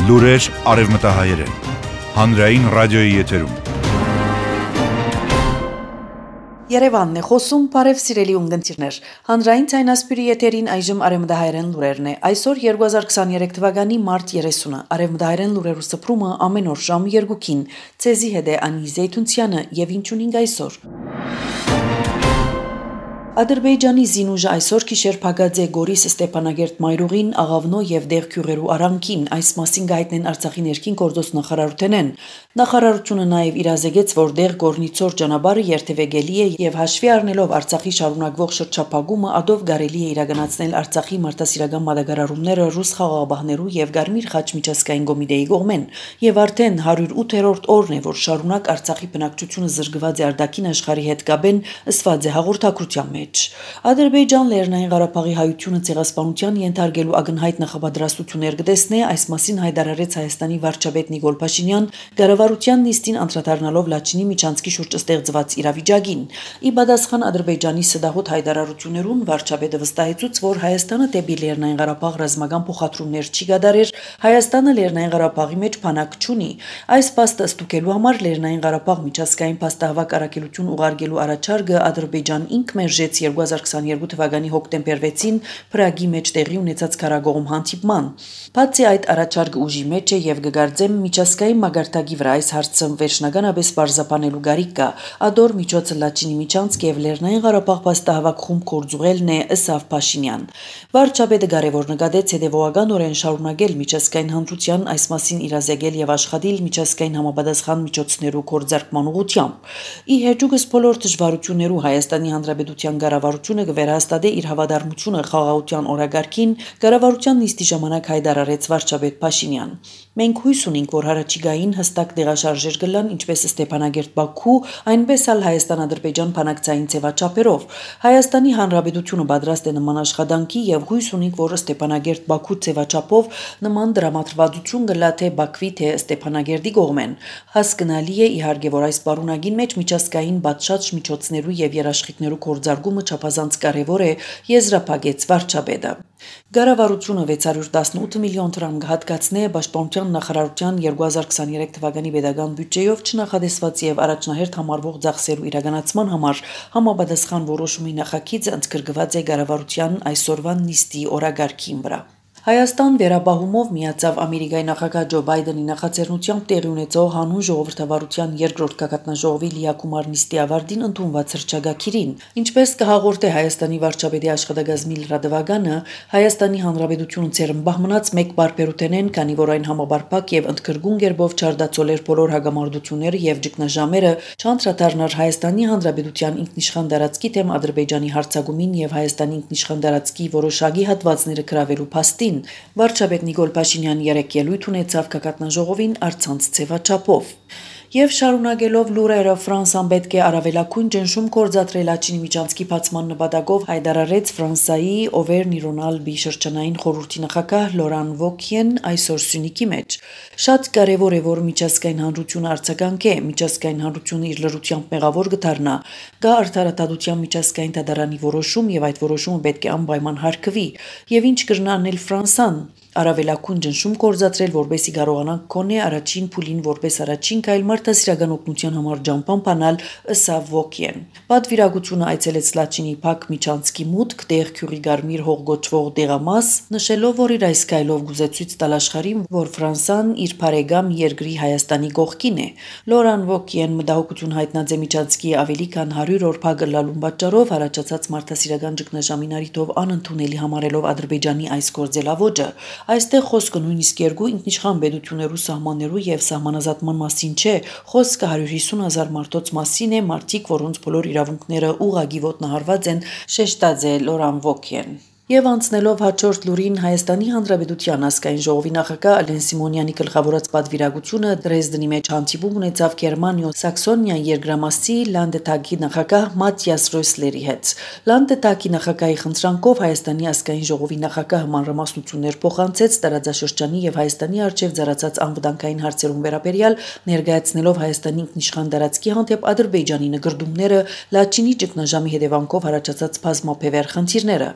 Լուրեր արևմտահայերեն, հանրային ռադիոյի եթերում։ Երևանն է խոսում, բարև սիրելի ունգընտիրներ, հանրային ցայնասպիրի եթերին այժմ արևմտահայերեն լուրերն է, այսօր 2023 թվականի մարտ 30-ը, արևմտահայերեն լուրերու սփռումը ամեն օր ժամ 2-ին, ցեզի հետ է Անի Զեյթունցյանը եւ ինչունինգ այսօր։ Ադրբեջանի Զինուժը այսօր գիշեր փակած է Գորիս Ստեփանագերտ Մայրուղին, Աղավնո եւ Դեղքյուղերու արանքին, այս մասին գայտնեն Արցախի ներքին գործոս նախարարութենեն։ Նախարարությունը նաեւ իրազեկեց, որ Դեղ Գորնիցոր ճանապարհը երթևեկելի է եւ հաշվի առնելով Արցախի շարունակվող շրջափակումը, ադով կարելի է իրականացնել Արցախի մարդասիրական մատակարարումները ռուս խաղաղապահներու եւ Գարմիր խաչ միջազգային կոմիտեի կողմեն, եւ արդեն 108-րդ օրն է, որ շարունակ Արցախի բնակչությունը զրկված է արտաքին աշխարհի հետ կապեն, ըսված է հաղորդակցության մեջ։ Ադրբեջան Լեռնային Ղարաբաղի հայությունը ցեղասպանության ենթարկելու ակնհայտ նախապատրաստություններ կտեսնե, այս մասին հայտարարեց Հայաստանի վարչապետ Նիկոլ Փաշինյան, կառավարության նիստին անդրադառնալով Լաչինի միջանցքի շուրջ ստեղծված իրավիճակին։ Ի պատասխան Ադրբեջանի սդահոտ հայտարարություններուն վարչապետը վստահեցուց, որ Հայաստանը դեպի Լեռնային Ղարաբաղ ռազմական փոխադրումներ չի կատարեր, Հայաստանը Լեռնային Ղարաբաղի մեջ բանակ չունի։ Այս փաստը ստուգելու համար Լեռնային Ղարաբաղ միջազգային փաստահավաք առաքելություն ուղարկելու առաջարկը Ադրբեջան ինք մերժեց 2022 թվականի հոկտեմբեր 6-ին Պրագի մեջ տեղի ունեցած քարագողում հանդիպման։ Բացի այդ առաջարկը ուժի մեջ է եւ կգարձեմ միջազգային մագարտակի վրա այս հարցը վերջնականապես բարձրապանելու գարիք կա։ Ադոր միջոցը Լաչինի միջանցք եւ Լեռնային Ղարաբաղ փաստահավաք խումբ կորձուղելն է, ըսավ Փաշինյան։ Վարչապետը կարևոր նկատեց հետևողականորեն շարունակել միջազգային հանրության այս մասին իրազեկել եւ աշխատել միջազգային համապատասխան միջոցներու կորձարկման ուղղությամբ։ Ի հեճուկս բոլոր դժվարություններու Հայաստանի Հանրապետության կառավարությունը կվերահաստատի իր հավատարմությունը խաղաղության օրակարգին, կառավարության նիստի ժամանակ հայտարարեց վարչապետ Փաշինյան։ Մենք հույս ունենք, որ հարաճիգային հստակ տեղաշարժեր կլան ինչպես Ստեփանագերտ Բաքու, այնպես էլ Հայաստան-Ադրբեջան բանակցային ձևաչափերով։ Հայաստանի Հանրապետությունը պատրաստ է նման աշխատանքի եւ հույս ունենք, որ Ստեփանագերտ Բաքու ձևաչափով նման դրամատրվածություն կլա թե Բաքվի թե Ստեփանագերտի կողմեն։ Հասկանալի է իհարկե, որ այս պարունակին մեջ միջազգային բացած միջոցներու եւ երաշխիքներու կորձարկումը չափազանց կարևոր է, եզրափակեց վարչապետը։ Կառավարությունը 618 միլիոն դրամ կհատկացնի Պաշտպանության նախարարության 2023 թվականի պետական բյուջեով չնախադեсված եւ առաջնահերթ համարվող ծախսերու իրականացման համար համապատասխան որոշումի նախագիծը ընդգրկված է կառավարության այսօրվա նիստի օրակարգին վրա։ Հայաստան վերաբահումով միացավ Ամերիկայի նախագահ Ջո Բայդենի նախաձեռնությամբ տեղի ունեցող հանուն ժողովրդավարության երկրորդ գագաթնաժողովի լիակումար նիստի ավարտին ընդունված հռչակագիրին։ Ինչպես կհաղորդե Հայաստանի վարչապետի աշխատակազմի լրատվականը, Հայաստանի Հանրապետությունը ցերմբահ մնաց մեկ բարբերութենեն, քանի որ այն համաբարփակ եւ ընդգրկուն գերբով չարդացոլեր բոլոր հագամարտությունները եւ ճգնաժամերը, չանդրադառնար Հայաստանի Հանրապետության ինքնիշխան տարածքի դեմ Ադրբեջանի հարձակումին եւ Հայաստանի ինքնիշխան տարածքի որոշակի հատվածները գրավելու փաստին։ Վարչապետ Նիկոլ Փաշինյան երեկ ելույթ ունեցավ գագաթնաժողովին առցանց ձևաչափով։ Եվ շարունակելով լուրերը Ֆրանսիան պետք է առավելագույն ճնշում կորցատրել Լաչինի միջանցքի բացման նպատակով հայտարարեց Ֆրանսիայի Օվերն-Իրոնալբի շրջանային խորհրդի նախագահ Լորան Վոկիեն այսօր Սյունիքի մեջ։ Շատ կարևոր է, որ միջազգային հանրությունը արձագանքի, միջազգային հանրությունը իր լրությամբ մեղավոր կդառնա։ Գա արդարադատության միջազգային դատարանի որոշում եւ այդ որոշումը պետք է անպայման հարգվի։ Եվ ինչ կրնանել Ֆրանսիան առավելագույն ճնշում կորցատրել, որբեսի կարողանանք կոնե առաջին փուլին որպես առաջին քայլ մարդասիրական օգնության համար ջամփան բանալ, ըսավ Վոկիեն։ Պատվիրակությունը այցելեց Լաչինի Փակ միջանցքի մուտք Դեղքյուղի Գարմիր հող գոչվող դեղամաս, նշելով, որ իր այս քայլով գուզեցույց տալ աշխարհին, որ Ֆրանսիան իր բարեկամ երկրի Հայաստանի կողքին է։ Լորան Վոկիեն մտահոգություն հայտնած է միջանցքի ավելի քան 100 օր փակ լալուն պատճառով առաջացած մարդասիրական ճգնաժամին առիթով անընդունելի համարելով Ադրբեջանի այս գործելավոճը։ Այստեղ խոսքը նույնիսկ երկու ինքնիշխան պետություններու սահմաններու եւ սահմանազատման մասին չէ, խոսքը 150,000 մարդոց մասին է, մարդիկ, որոնց բոլոր իրավունքները ուղղակի ոտնահարված են, շեշտած է Լորան Վոկիեն։ Եվ անցնելով հաջորդ լուրին Հայաստանի Հանրապետության ազգային ժողովի նախագահ Ալեն Սիմոնյանի գլխավորած պատվիրակությունը Դրեզդենի մեջ հանդիպում ունեցավ Գերմանիա-Սաքսոնիա երկրամասի Լանդտագի նախագահ Մատիաս Ռոյսլերի հետ։ Լանդտագի նախագահի խնդրանքով Հայաստանի ազգային ժողովի նախագահը մանրամասնություններ փոխանցեց տարածաշրջանի եւ Հայաստանի արչեւ ծառացած անվտանգային հարցերուն վերաբերյալ, ներկայացնելով Հայաստանի ինքնիշխան տարածքի հանդեպ Ադրբեջանի նկրդումները, Լաչինի ճգնաժամի հետևանքով առաջացած բազմապևեր խնդիրները։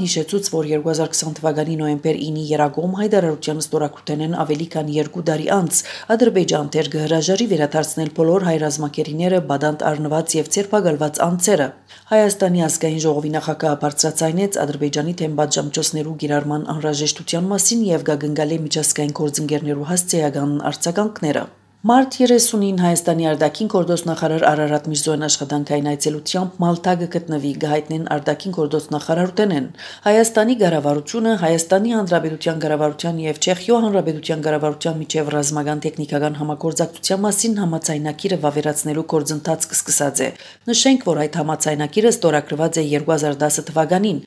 հիշեցուց, որ 2020 թվականի նոյեմբեր 9-ի երագոմ հայտարարության ստորագրութենեն ավելի քան 2 տարի անց Ադրբեջան թեր կհրաժարի վերադարձնել բոլոր հայ ռազմակերիները բադանտ առնված եւ ցերպակալված անձերը։ Հայաստանի ազգային ժողովի նախագահը բարձրացնեց Ադրբեջանի թեմ պատժամիջոցներու գիրառման անհրաժեշտության մասին եւ գագնգալի միջազգային գործընկերներու հասցեական արձագանքները։ Մարտ 30-ին Հայաստանի արտաքին գործոստ նախարար Արարատ Միրզոյան աշխատանքային այցելությամբ Մալթա գտնվի գահիտնեն արտաքին գործոստ նախարարութենեն Հայաստանի ղարավարությունը Հայաստանի Հանրապետության ղարավարության եւ Չեխիո Հանրապետության ղարավարության միջև ռազմական տեխնիկական համագործակցության մասին համաձայնագիրը վավերացնելու գործընթաց կսկսած է։ Նշենք, որ այդ համաձայնագիրը ստորագրված է 2010 թվականին։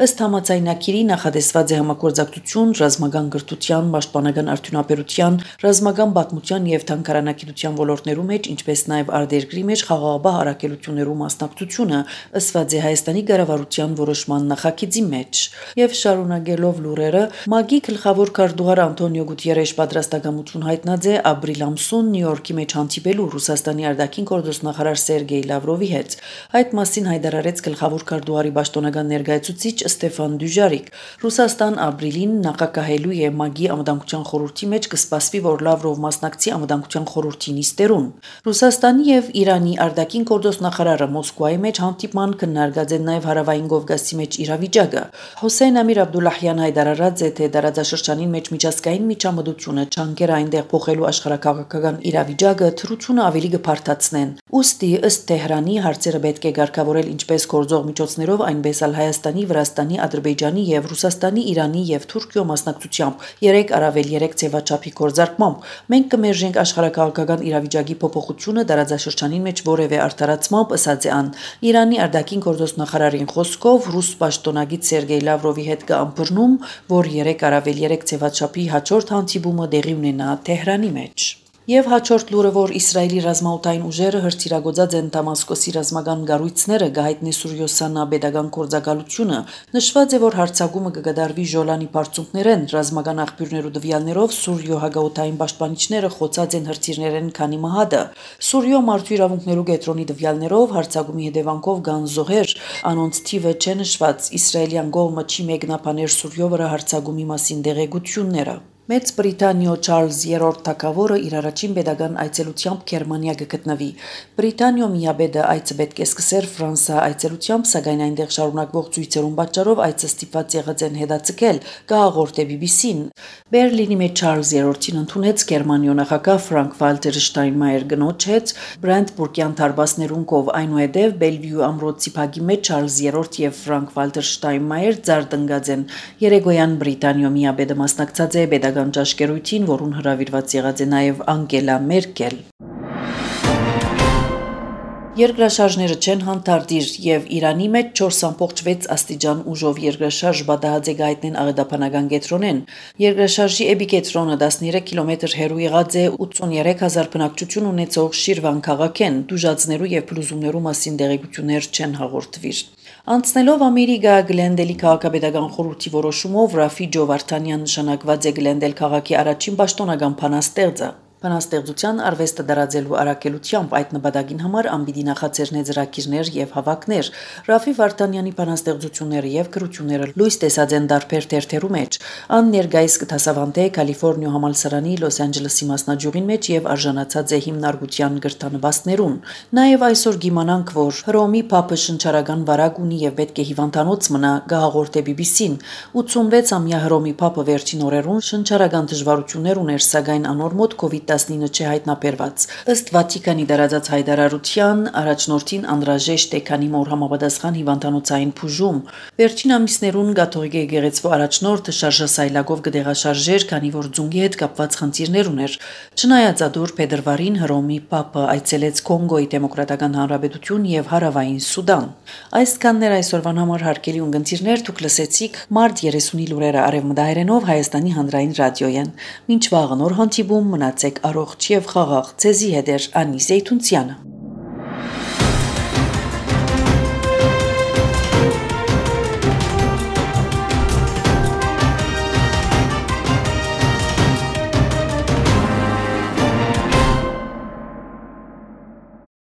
Ըստ համաձայնագիրի նախադեсված է համագործակցություն ռազմական գրթության, պաշտպանական արդյունաբերության, ռազմական պատմության եւ Քարանակիրության ոլորտներու մեջ, ինչպես նաև արտերկրի մեջ խաղաղաբահ առաքելություններու մասնակցությունը ըսված է Հայաստանի ղարավարության որոշման նախագծի մեջ։ Եվ շարունակելով լուրերը, ՄԱԳ-ի գլխավոր քարտուղար Անտոնիո Գուտիերեշ պատրաստակամություն հայտնած է ապրիլ ամսուն Նյու Յորքի մեջ հանդիպելու Ռուսաստանի արտաքին գործոստ նախարար Սերգեյ Լավրովի հետ։ Այդ մասին հայտարարեց գլխավոր քարտուղարի պաշտոնական ներկայացուցիչ Ստեֆան Դյուժարիկ։ Ռուսաստան ապրիլին նախակահելու է ՄԱԳ-ի անվտանգության խորհրդի մեջ կսպասվի, որ Լավրով մասնակցի անվտանգության խորհրդի նիստերուն։ Ռուսաստանի եւ Իրանի արտաքին գործոստ նախարարը Մոսկվայի մեջ հանդիպման քննարկած են նաեւ հարավային Կովկասի մեջ իրավիճակը։ Հոսեյն Ամիր Աբդուլլահյան հայտարարած է, թե տարածաշրջանին մեջ միջազգային միջամտությունը չանկեր այնտեղ փոխելու աշխարհակաղակական իրավիճակը թրությունը ավելի կփարթացնեն։ Ուստի ըստ Թեհրանի հարցերը պետք է ղեկավարել ինչպես գործող միջոցներով, այնպես էլ Հայաստանի, Վրաստանի, Ադրբեջանի եւ Ռուսաստանի, Իրանի եւ Թուրքիո մասնակցությամբ 3+3 ձևաչափի գործարկմամբ։ Մենք կմերժենք աշխարհակաղակական իրավիճակի փոփոխությունը տարածաշրջանին մեջ որևէ արդարացմամբ, ըսած է ան։ Իրանի արտաքին գործոստ նախարարին խոսքով ռուս պաշտոնագետ Սերգեյ Լավրովի հետ կըմբռնում, որ 3+3 ձևաչափի հաջորդ հանդիպումը տեղի ունենա Թեհրանի մեջ։ Եվ հաջորդ լուրը, որ Իսրայելի ռազմաօդային ուժերը հրթիռագործած են Դամասկոսի ռազմական կառույցները գահիտնի Սուրյոսանա pedagogan կորձակալությունը, նշված է, որ հարձակումը կգդարվի Ժոլանի բարձունքներեն, ռազմական աղբյուրներու տվյալներով Սուրյո հագաօդային պաշտպանիչները խոցած են հրթիռներեն քանի մահադը։ Սուրյո մարդու իրավունքներու կենտրոնի տվյալներով հարձակումի հետևանքով կան զոհեր, անոնց թիվը չէ նշված, իսրայելյան կողմը չի մեկնաբանել Սուրյո վրա հարձակումի մասին տեղեկությունները։ Մեծ Բրիտանիո Չարլզ III թագավորը իր առաջին pedagogan այցելությամբ Գերմանիա կգտնվի։ Բրիտանիո միաբեդը այցը պետք է սկսեր Ֆրանսա այցելությամբ, սակայն այնտեղ շարունակվող ցույցերուն պատճառով այցը ստիպված եղած են հետաձգել, կհաղորդե BBC-ն։ Բերլինի մեջ Չարլզ III-ին ընդունեց Գերմանիո նախագահ Ֆրանկկ-Վալտեր Շտայնմայեր գնոջ հետ Բրանդբուրգյան դարպասներուն կով, այնուհետև Բելվիու ամրոցի փակի մեջ Չարլզ III եւ Ֆրանկկ-Վալտեր Շտայնմայեր ձարտընկած են։ Երեկոյան Բրիտանիո միաբեդը մասնակցած է pedagogan ճաշկերույթին, որուն հրավիրված եղած է նաև Անգելա Մերկել։ Երկրաշարժները չեն հանդարտիր եւ Իրանի մեջ 4.6 աստիճան ուժով երկրաշարժ բադահած է գայտնեն աղետափանական կետրոնեն։ Երկրաշարժի էպիկետրոնը 13 կիլոմետր հեռու եղած է 83000 բնակչություն ունեցող Շիրվան քաղաքեն, դուժածներու եւ փլուզումներու մասին տեղեկություններ չեն հաղորդվիր։ Անցնելով Ամերիկա Գլենդելի քաղաքապետական խորհրդի որոշումով Ռաֆիջո Վարդանյան նշանակված է Գլենդել քաղաքի առաջին պաշտոնական բանաստեղծը։ Բանաստեղծության արվեստը դարաձելու առաքելությամբ այդ նպատակին համար անպիտի նախաձեռնե ծրագիրներ եւ հավաքներ։ Ռաֆի Վարդանյանի բանաստեղծությունները եւ գրությունները լույս տեսած են տարբեր թերթերու մեջ։ Ան ներկայիս կդասավանդե Կալիֆոռնիա համալսարանի Լոս Անջելեսի մասնաճյուղին մեջ եւ արժանացած է հիմնարկության գրթանվաստներուն։ Նաեւ այսօր գիմանանք, որ Հռոմի Փապը շնչարական վարակ ունի եւ պետք է հիվանդանոց մնա, գահաղորդե BBC-ն։ 86-ամյա Հռոմի Փապը վերջին օրերուն շնչարական դժվարություններ ուներ, սակայն անոր մոտ COVID-19 չէ հայտնաբերված։ Ըստ Վատիկանի դարաձած հայտարարության առաջնորդին անհրաժեշտ է քանի մոր համապատասխան հիվանդանոցային բուժում։ Վերջին ամիսներուն կաթողիկ եկեղեցու առաջնորդը շարժասայլակով կդեղաշարժեր, քանի որ ձունգի հետ կապված խնդիրներ ուներ։ Չնայած ադուր փետրվարին Հռոմի Պապը այցելեց Կոնգոյի դեմոկրատական հանրապետություն եւ Հարավային Սուդան։ Այսքաններ այսօրվան համար հարգելի ունգընտիրներ, դուք լսեցիք մարտ 30-ի լուրերը արևմտահայերենով Հայաստանի հանրային ռադիոյեն։ Մինչ վաղը նոր հանդիպում մնացեք առողջ եւ խաղաղ։ Ձեզի հետ էր Անի Զեյթունցյանը։